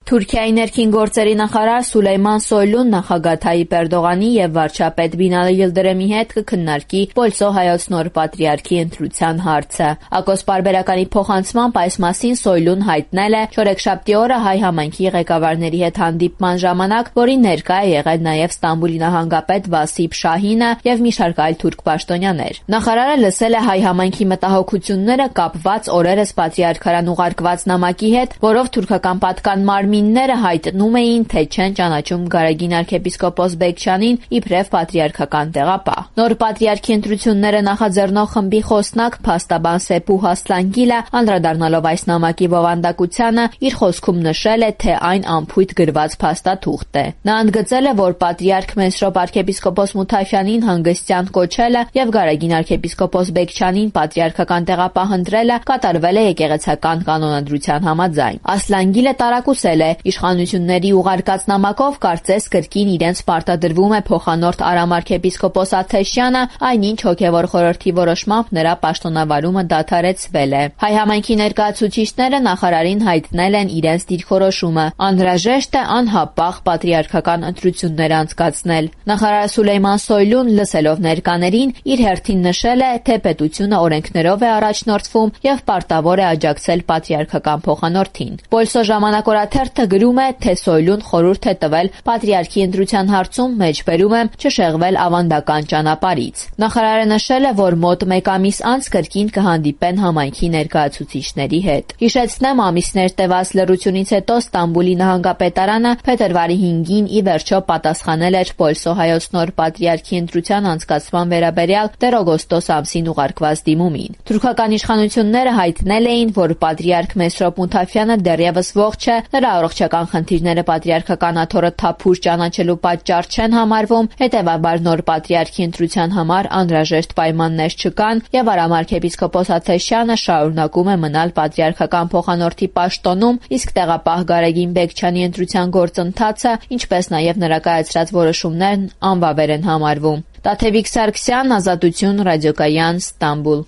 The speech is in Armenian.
Թուրքիայի ներքին գործերի նախարար Սուլեյման Սոյլուն նախագահ Թայիպ Էրդողանի եւ վարչապետ Բինալի Յիլդիրիմի հետ կքննարկի Պոլսո հայոց նոր պատրիարքի ընտրության հարցը։ Ակոս պարբերականի փոխանցմամբ այս մասին Սոյլուն հայտնել է չորեքշաբթի օրը հայ համայնքի ղեկավարների հետ հանդիպման ժամանակ, որին ներկա է եղել նաեւ Ստամբուլի նահանգապետ Վասիփ Շահինը եւ մի շարք այլ թուրք պաշտոնյաներ։ Նախարարը լսել է հայ համայնքի մտահոգությունները կապված օրերս պատրիարքարան ուղարկված նամակի հետ, որով թուրքական պատկան մարմինները հայտնում էին, թե չեն ճանաչում Գարեգին arczepiskopos Բեկչյանին իբրև պատրիարքական տեղապահ։ Նոր պատրիարքի ընտրությունները նախաձեռնող խմբի խոսնակ փաստաբան Սեփուհ Ասլանգիլը, անդրադառնալով այս նամակի բովանդակությանը, իր խոսքում նշել է, թե այն անփույթ գրված փաստաթուղթ է։ Նա ընդգծել է, որ պատրիարք Մեսրոպ arczepiskopos Մութաֆյանին հանգստյան կոչելը եւ Գարեգին arczepiskopos Բեկչյանին պատրիարքական տեղապահ ընտրելը կատարվել է եկեղեցական կանոնադրության համաձայն։ Ասլանգիլը տարակուսել է իշխանությունների ուղարկած նամակով կարծես կրկին իրենց պարտադրվում է փոխանորդ Արամ arczepiskopos Աթեշյանը, այնինչ հոգևոր խորհրդի որոշմամբ նրա պաշտոնավարումը դադարեցվել է։ Հայ համայնքի ներկայացուցիչները նախարարին հայտնել են իրենց դիրքորոշումը՝ անհրաժեշտ է անհապաղ պատրիարքական ընտրություններ անցկացնել։ Նախարար Սուլեյման Սոյլուն, լսելով ներկաներին, իր հերթին նշել է, թե պետությունը օրենքներով է առաջնորդվում եւ պարտավոր է աջակցել պատրիարքական փոխանորդին։ Պոլսո ժամանակորաթերթը գրում է, թե Սոյլուն խորհուրդ է տվել պատրիարքի ընտրության հարցում մեջբերում եմ չշեղվել ավանդական ճանապարհից։ Նախարարը նշել է, որ մոտ մեկ ամիս անց կրկին կհանդիպեն համայնքի ներկայացուցիչների հետ։ Հիշեցնեմ, ամիսներ տևած լռությունից հետո Ստամբուլի նահանգապետարանը փետրվարի 5-ին ի վերջո պատասխանել էր Պոլսո հայոց նոր պատրիարքի ընտրության անցկացման վերաբերյալ դեռ օգոստոս ամսին ուղարկված դիմումին։ Թուրքական իշխանությունները հայտնել էին, որ պատրիարք Մեսրոպ Մութաֆյանը դեռևս ողջ է, նրա առողջական խնդիրները պատրիարքական աթոռը թափուր ճանաչելու պատճառ չեն համարվում, հետևաբար նոր պատրիարքի ընտրության համար անհրաժեշտ պայմաններ չկան եւ Արամ arczepiskopos Աթեշյանը շարունակում է մնալ պատրիարքական փոխանորդի պաշտոնում, իսկ տեղապահ Գարեգին Բեկչյանի ընտրության գործընթացը, ինչպես նաեւ նրա կայացրած որոշումներն անվավեր են համարվում։ Տաթևիկ Սարգսյան, Ազատություն, Ռադիոկայան, Ստամբուլ։